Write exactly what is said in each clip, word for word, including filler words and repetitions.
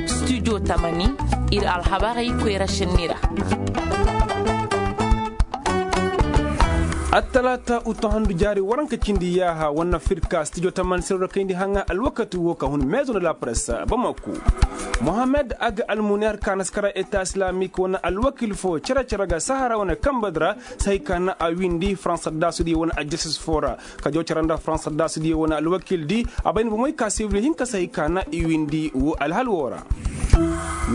Studio tamani, ir alhabarey koyra senni ra. Attalaata uto handu jaari waranka cindi yaaha wane firka studio tamani sirro kayndi haŋa alwakati wo ka hun meezo nda la presse bamako. Mohamed ag almuner ka na si kara eta islamik wane alwakil fo cere-cere ga sahara wane kamba di ra. Sahi ka na a windi faransa daasudiyo wane ajastis fo ra. Ka jaw cara nda faransa daasudiyo wane alwakil di a bay ni bomey ka sibil hinka sahi ka na i windi wo alhal wo ra.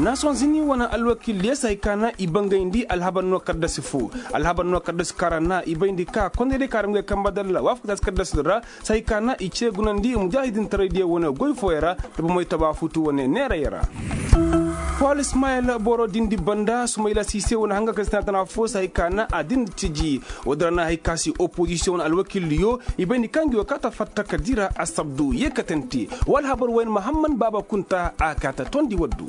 Nason zini wane alwakil di ya sahi ka na i bangayndi alhabar no kaddasi fo. Alhabar no kaddasi kara na i bayndi ka kondey day ka ra ngey kamba dalla waafaka taasi kaddasi ra. Sahi ka na i ce gunandi mujaahidintaray diyo wane goy fooyaŋ ra. Da bomey taba futu wane neerayaŋ ra. Pool ismayil boro dindi banda sumayla siise wane hanga ka si tana tana fo sahi ka na a dindi tiji. Woodin ra na hay ka si opozisiyoŋ wane alwakildiyo i bay ni kaŋ gi wo kaata fatta ka dira asabdu yeekatante. Wa alhabar wayne mahamman baaba kunta a kaata tondi waddu.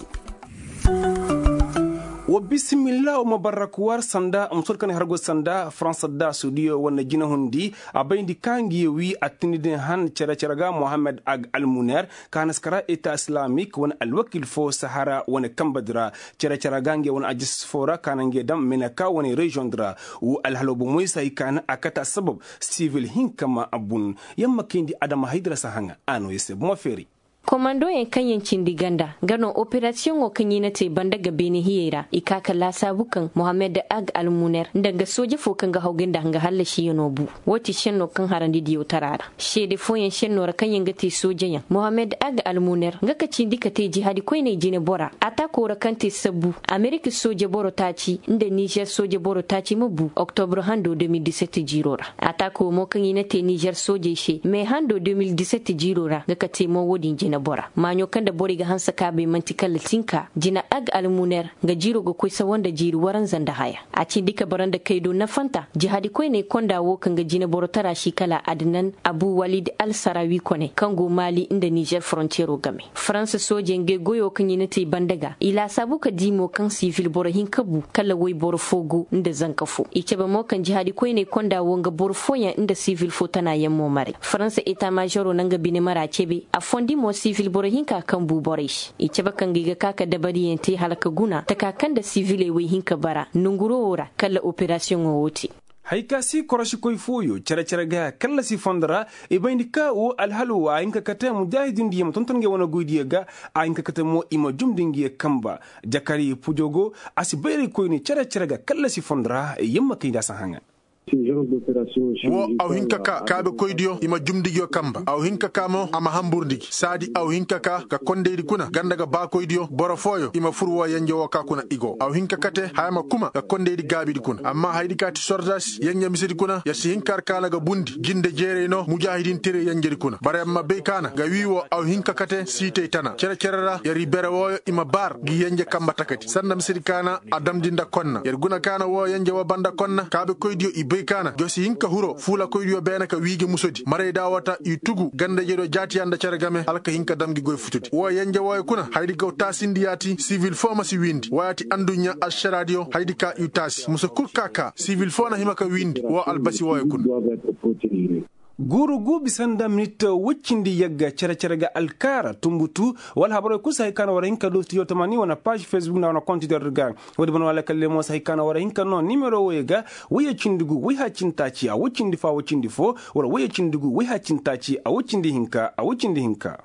Wa bisimilla wa mabarrak war sanda musol kaŋ har go sanda faransa da suudiyo wane jinahundi. A bayndi ka ngi wi attini din han cere-cere ga mohammed ag almuner ka na si kara eta islamik wane alwakil fo sahara wane kamba di ra. Cere-cere ga ngi wane ajis fo ra ka na ngi dam meneka wane reziyoŋ di ra. Wo alhalo bomoy se hay ka na a kate assabab sivil hinka ma abun. Yamma kayndi adama hay di ra si haŋa a no ya se bomo feeri. Komandoyaŋ kaŋ yaŋ cindi ganda nga no operasiyoŋo kaŋ i na te banda ga beene hiyey ra i ka ka laasaabu kaŋ mohammed ag almuner nda nga sooje fo kaŋ ga hawgay nda nga hallasiyano bu. Woo ti šenno kaŋ harandi diyaw tara ra seede fooyaŋ šenno ra kaŋ yaŋ ga te soojeyaŋ mohammed ag almuner nga ka cindi ka te jihaadi koyney jinebora. Ataako ra kaŋ te sabbu amerika sooje boro taaci nda nizer sooje boro taaci ma bu oktobre hando de mil diset jiiro ra. Ataako mo kaŋ i na te nizer soojey se me hando de mil diset jiiro ra nga ka te mo woo din jinebora maaɲo kaŋ nda borey ga hanse kaabey man'ti kala tinka jina ag almuner nga jiiro ga koy sawa nda jiiri waranza nda haya. A cindi ka bara nda kaydo nafanta jihaadi koyney konda woo kaŋ ga jineboro tara si kala adnan abu walid alsarawi kone kaŋ go maali nda nizer forontiyero game. Faransa soojey ngey goyo kaŋ i na te i banda ga i laasaabu ka di mo kaŋ sivil boro hinka bu kala woyboro fo go nda zanka fo i cabe mo kaŋ jihaadi koyney konda woo nga boro fooyaŋ nda sivil fo tana yaŋ mo maray faransa eta maazero na nga bine mara cebe a fondi mo sivil boro hinka kaŋ bu borey se i cabe kaŋ ga i ga ka ka dabariyaŋ te hala ka guna taka kaŋ nda siviley woy hinka bara nonguro woo ra kala operasiyoŋo woo te. Hay ka si korosikoy fooyo cere-cere ga kallasi fondo ra. I bayndi ka woo alhalo a hin ka kate mujaahidindiyo ma tonton ngey wane goydiyo ga. A hin ka kate mo i ma jumndi ngey kamba jakari pujogo a si bayraykoyni cere-cere ga kallasi fondo ra yamma kay nda a si haŋa. Woo aw hin ka ka kaabekoydiyo i ma jumndi ngiyo kamba aw hin ka ka mo a ma hamburndi gi saadi aw hin ka ka ga kondaydi kuna ganda ga baakoydiyo boro fooyo i ma fur woo yenje woo ka kuna i go aw hin ka kate haya ma kuma ga kondaydi gaabidi kuna amma hayadi ka ti sordaasi yenje misedi kuna yer si hin ka har kaana ga bundi jinde jeeray no mujaahidintere yenjedi kuna bara yer ma bay kaana ga wii woo aw hin ka kate siitay tana cere-cere ra yer i bere wooyo i ma baar gi yenje kamba takadi sanda misedi kaana a damndi nda konna yer guna kaana woo yenje woo banda konna kaabekoydiyo i bay kaana jo si hin ka huro fuulakoydiyo beene ka wii gi musodi maray da wata i tugu ganda-ijediyo jaatiya nda cere game hala ka hin ka dam gi goy futudi woo yenje wooyo kuna hayadi gaw taasindi yaati sivil foo ma si wiindi woo yaati anduɲɲa alšaraadiyo hayadi ka i taasi muse kul ka ka sivil foo na hima ka wiindi woo albasi wooyo kuna. Guuru guu bisa nda minit woy cindi yagga cere-cere ga alkaara tunbutu wala habarey kul si hay ka na war hin ka du studio tamani wane paaž fesbuk nda wane kontider ga. Woodi ban wala kalle mo si hay ka na war hin ka no nimero woy ga woy ya cindi gu woy haacintaaci a woy cindi fo a woy cindi fo wala woy ya cindi gu woy haacintaaci a woy cindi hinka a woy cindi hinka.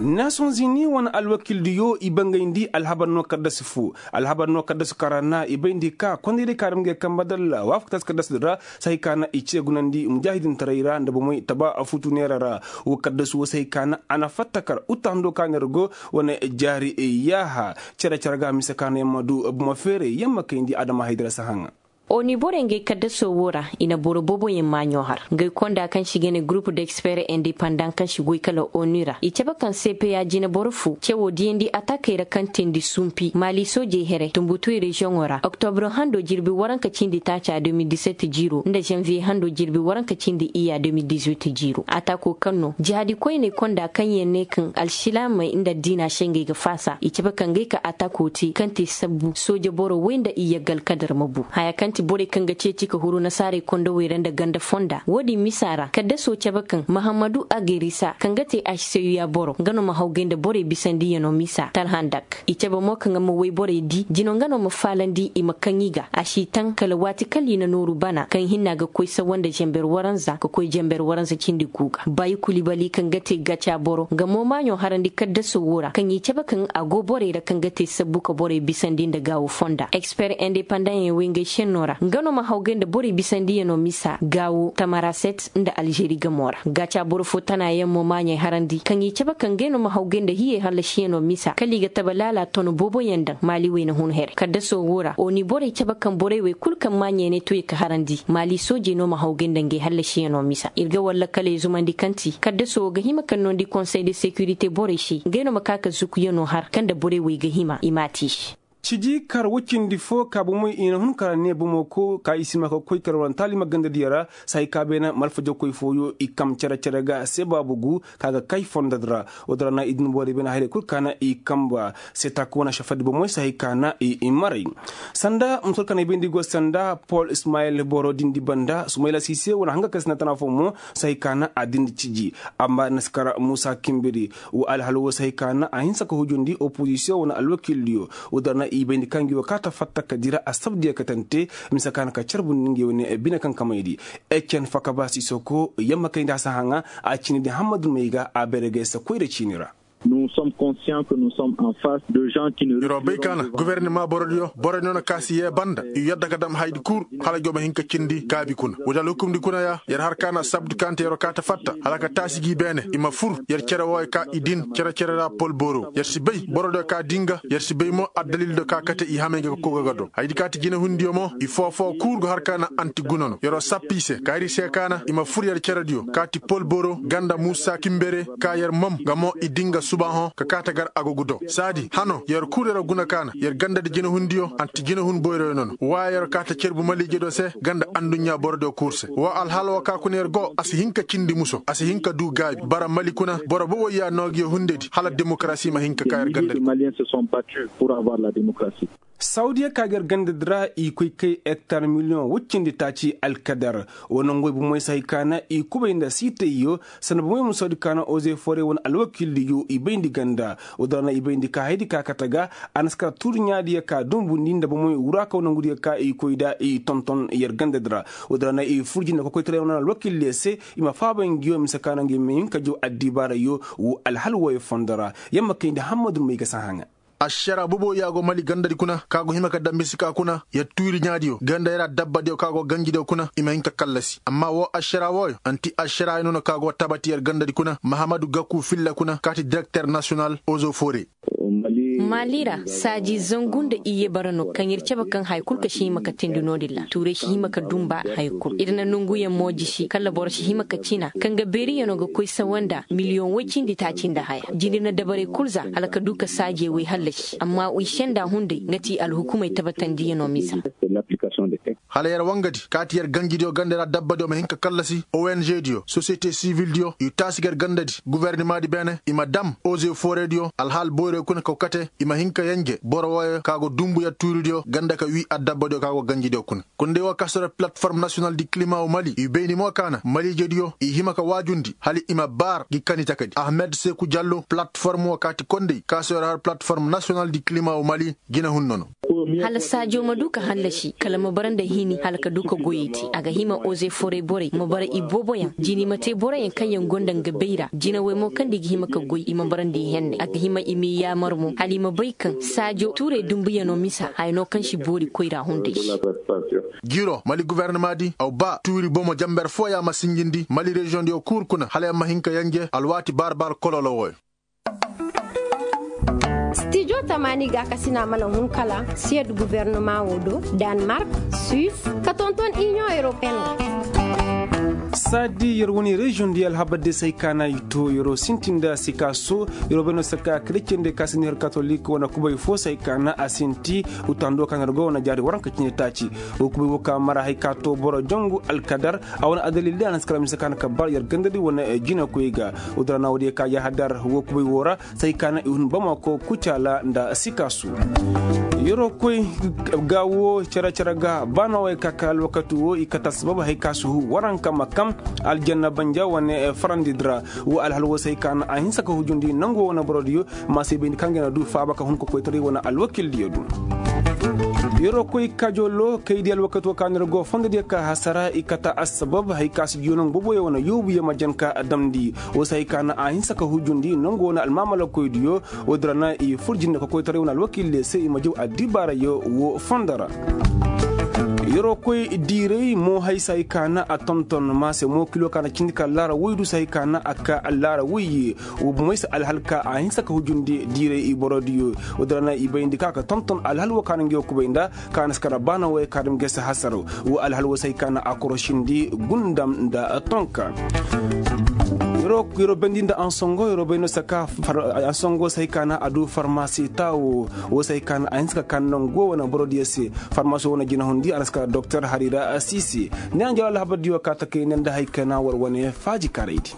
Nasonzini wane alwakildiyo i bangayndi alhabar no kaddasi fo alhabar no kaddasi kaŋ ra na i bayndi ka kondaydi kaŋ ra ma ngey kamba dalla waafaka taasi kaddasi din ra. Sahi ka na i ce gunandi mujaahidintaray ra nda bomey taba futu neera ra. Wo kaddasi wo sahi ka na a na fatta kar uta hando ka neera go wane jaari yaaha cere-cere ga mise ka na yamma du buma feeray yamma kayndi adama haydara si haŋa. Oni borey ngey kaddaso wo ra i na boro booboyaŋ maaɲo har ngey konda kaŋ se i ga ne gurupu d'expert independant kaŋ se goy kala oni ra i cabe kaŋ cpa jineboro fo cewoo diyandi atakey ra kaŋ teendi sumpi maali soojey here tunbutuy reziyoŋo ra oktobre hando jirbi waranka cindi taaca de mil diset jiiro nda zanviye hando jirbi waranka cindi iyya de mil dizuit jiiro atako kaŋ no jihaadi koyney konda kaŋ yaŋ ne kaŋ alsilaamey nda addiina se ngey ga faasa i cabe kaŋ ngey ka atako te kaŋ te sabbu sooje boro woy nda iyye ga alkadar ma bu haya kaŋ Borey kaŋ ga ceeci ka huru nasaarey kondowey ra nda ganda fonda wo-din misa ra kaddaso cabe kaŋ mahammadu agerisa kaŋ ga te aseyu ya boro nga no ma hawgay nda borey bisandiyanoo misa talhandak i cabe mo kaŋ a ma woy borey di jino nga no ma faalandi i ma kaŋ i ga a si taŋ kala waati kala i na nooru bana kaŋ hinna ga koy sawa nda zamber waranza ka koy zamber waranza cindi gu ga baayi kulibali kaŋ ga te gaca boro nga mo maaɲo harandi kaddaso wo ra kaŋ i cabe kaŋ a go borey ra kaŋ ga te sabbu ka borey bisandi nda gaawo fonda eksper indepandaŋ yaŋ way ngey senno ra nga no ma hawgay nda borey bisandiyanoo misa gaawo tamaraset nda alžeri gamo ra gaca boro fo tana yaŋ mo maaɲey harandi kaŋ i cabe kaŋ ngey no ma hawgay nda hiyey hallasiyanoo misa kala i ga taba laala ton boobo yaŋ daŋ maali wayna hun here kaddaso wo ra oni borey cabe kaŋ borey wey kul kaŋ maaɲey ne to i ka harandi maali soojey no ma hawgay nda ngey hallasiyanoo misa ir ga war lakaley zumandi kaŋ ti kaddaso wo ga hima ka noondi konsey de sekirite borey se ngey no ma ka ka zukuyanoo har kaŋ nda borey wey ga hima i m'a te i se. Ciji kar wacindi fo ka bomoy i na hun kara ne bomo ko ka i si ma ka koy kar wane taalima gandadiyo ra sahay ka beene malfajakoy fooyo i kam cere-cere ga se baabu gu ka ga kay fondodi ra. Wo-din ra na i din borey beene hayrey kul ka na i kamba se taaka wane šafadi bomoy sahay ka na i maray. Sanda musol ka na i bayndi go sanda pol ismayil boro dindi banda sumayla sise wane hanga kay sanda tana fo mo sahay ka na a dindi ciji. Amma naskar musa kimbiri wa alhal wo se hay ka na a hinsa ka hujundi opozisiyoŋ wane alwakildiyo. Wa dara na i bayndi kaŋ gi wa kaata fatta ka dira a sabdiyo katante mise ka na ka carbundi ngi wane bine kaŋ kamaydi. Ecen faka ba sisoko yamma kayndi a si haŋa a ciini di hammadu may ga a beere gay se koyra ciini ra. Nous sommes conscients que nous sommes en face de gens qui ne reflèteront pas. Yer wo bay ka na gubernima borodiyo borodiyo no ka si yee banda i yadda ka dam haydi kul hala jooma hin ka cindi gaabi kuna wadi alhukumdi kuna ya yer har ka na sabdu kaŋ te yer wo kaata fatta hala ka taasi gi beene i ma fur yer cere wooyo ka i din cere cere ra pol boro yer si bay borodiyo ka dinga yer si bay mo addalildiyo ka kate i hamay ga ka koga ga do haydi ka ti jinehundiyo mo i foo-foo kul go har ka na anti guna no yer wo sappi i se ka ir i se ka na i ma fur yer cerediyo ka ti pol boro ganda muusa kimbere ka yer mom nga mo i dinga subaahoŋ ka kaate gar agogu do saadi hano yer kul yer guna kaana yer gandadi jinahundiyo anti jinahun boyroyo nono wa yer kaate cerbu maliijediyo se ganda anduɲɲa borodiyo kul se wa alhala wo ka kuna yer go a si hin ka cindi muso a si hin ka duu gaabi bara mali kuna boro boboy ya noo gi hundedi hala demokarasi ma hin ka ka yer gandadi. Sawdiya ka ga yer gandadi ra i koy kay ektar miliyoŋ woy cindi taaci alkadar. Wa nongoy bomey se hay ka na i kubay nda siitayyo sanda bomey ma soodi ka na oze fore wane alwakiildiyo i bayndi ganda. Wa dara na i bayndi ka haydi ka kate ga a na si kara tuuri ɲaadiyo ka dumbundi nda bomey wuraakaw nongudiyo ka i koy nda i tonton yer gandadi ra. Wa dara na i furji nda kokoytaray wane alwakiildiyo se i ma faaba ngiyo mise ka na ngi ma hin ka jaw addibaarayyo. Wo alhal wooyo fondo ra yer ma kayndi hammadu may ga si haŋa. Ašaraa bobo ya go mali gandadi kuna ka go hima ka dambe si ka kuna yer tuuri ɲaadiyo ganda yer adabbadiyo ka go ganjidiyo kuna i ma hin ka kallasi amma woo ašaraa wooyo anti ašaraa ya nono ka go tabati yer gandadi kuna mahamadu gaku filla kuna ka ti direkter nasiyonal ozo fore. Mali ra saaji zangu nda iyye bara no kaŋ ir cabe kaŋ haya kul ka si hima ka teendi no-din ra tuuray si hima ka dumba haya kul ir na nonguyaŋ mo jisi kala boro si hima ka cina kaŋ ga beeriyaŋo ga koy sawa nda miliyoŋ woy cindi taaci nda haya jindi na dabarey kul za hala ka du ka saajey woy hallasi amma i senda hunday nga ti alhukumey tabatandiyaŋo misa. Hala yer wangadi kaati yer ganjidiyo ganda yer adabbadiyo ma hin ka kallasi ong diyo sosiyete sivildiyo i taasi ga yer gandadi guvernimaadi beene i ma dam oze forediyo alhaal boyroyo kuna kaw kate i ma hin ka yenje boro wooyo ka go dumbu yer tuuridiyo ganda ka wii adabbadiyo ka go ganjidiyo kuna. Kunday woo ka sora platform nasiyonal di kilima wo mali i bayni mo ka na maliijediyo i hima ka waajundi hala i ma baar gi kani takadi ahmed seku jallo platform woo kaati konday ka sora har platform nasiyonal di kilima wo mali. Jinahun nono. Hala saajo ma du ka hallasi kala ma bara nda hini hala ka du ka goyey te a ga hima oze forey borey ma bara i booboyaŋ jini ma te boroyaŋ kaŋ yaŋ gonda nga bay ra jinawey mo kaŋ nda i ga hima ka goy i ma bara nda i henne a ga hima i m'i yaamar mo hala i ma bay kaŋ saajo tuurey dumbuyaŋo misa haya no kaŋ si boori koyra hunday se. Jiiro mali gubernamaadi aw ba tuuri bomo jamber fooya ma sinjindi mali reziyoŋdiyo kuur kuna hala yaŋ ma hin ka yanje alwaati baar-baar kololo wooyo. Stijo tamaani gaakasina mana hun kala siyed gubernama wo do, danmark, suis, ka tonton iniyoŋ europeen. Saadi yer wane reziyoŋ di alhabar de se hay ka na i to yer wo sintin nda sikaso yer wo bay no saka kreciyende ka si ni har katolik wane kubay fo se hay ka na a sinti. Utando ka na yer go wane jaari waranka cine taaci. Wo kubay wo ka mara hay ka to boro jongu alkadar. A wane adalil de a na si kara mise ka na ka bar yer gandadi wane jinakoy ga. Wo dara na wo diya ka yahadar wo kubay wo ra. Say ka na i hun bamako kucala nda sikasu. Yeroo koy ga woo cere-cere ga ba na way ka kay alwakati woo i kate assabab hay ka si huu waranka ma kam aljanna banja wane farandi di ra. Woo alhal woo se hay ka na a hinsa ka hujundi nangoo wane borodiyo. Ma se bayndi kaŋ ga na duu faaba ka hun ka koytaray wane alwakildiyo duu. Yeroo koy kajoloo kay di alwakati woo ka na ir go fondodiyo ka hasara i kate assabab hay ka si jiyo naŋ boboyo wane yoobuyo ma jan ka damndi. Woo se hay ka na a hinsa ka hujundi nangoo wane almaamalakoydiyo. Woo din ra na i fur jinde ka koytaray wane alwakildiyo se i ma jaw addibaarayo woo fondo ra. Yeroo koy diiray mo hay se hay ka na a tonton ma se mo kilo ka na cindi ka laara woy du se hay ka na a ka laara woyye. Woo bomey se alhal ka a hinsa ka hujundi diiray i borodiyo. Woo din ra na i bayndi ka ka tonton alhal woo ka na ngi woo kubay nda ka na si kara baana woo ka dam gese hasaro. Woo alhal woo se hay ka na a korošindi gundam nda tonka. Yeroo bayndi nda ansongo yeroo bay no se ka ansongo se hay ka na a duu farmasi taawo. Woo se hay ka na a hinsa ka kaa nangoo wane borodiyo se. Farmasi woo na jinahundi a na si kara doktor harira siisi. Ni a na jawal alhabardiyo ka ta kay ne nda hay ka na war wane faaji karaydi.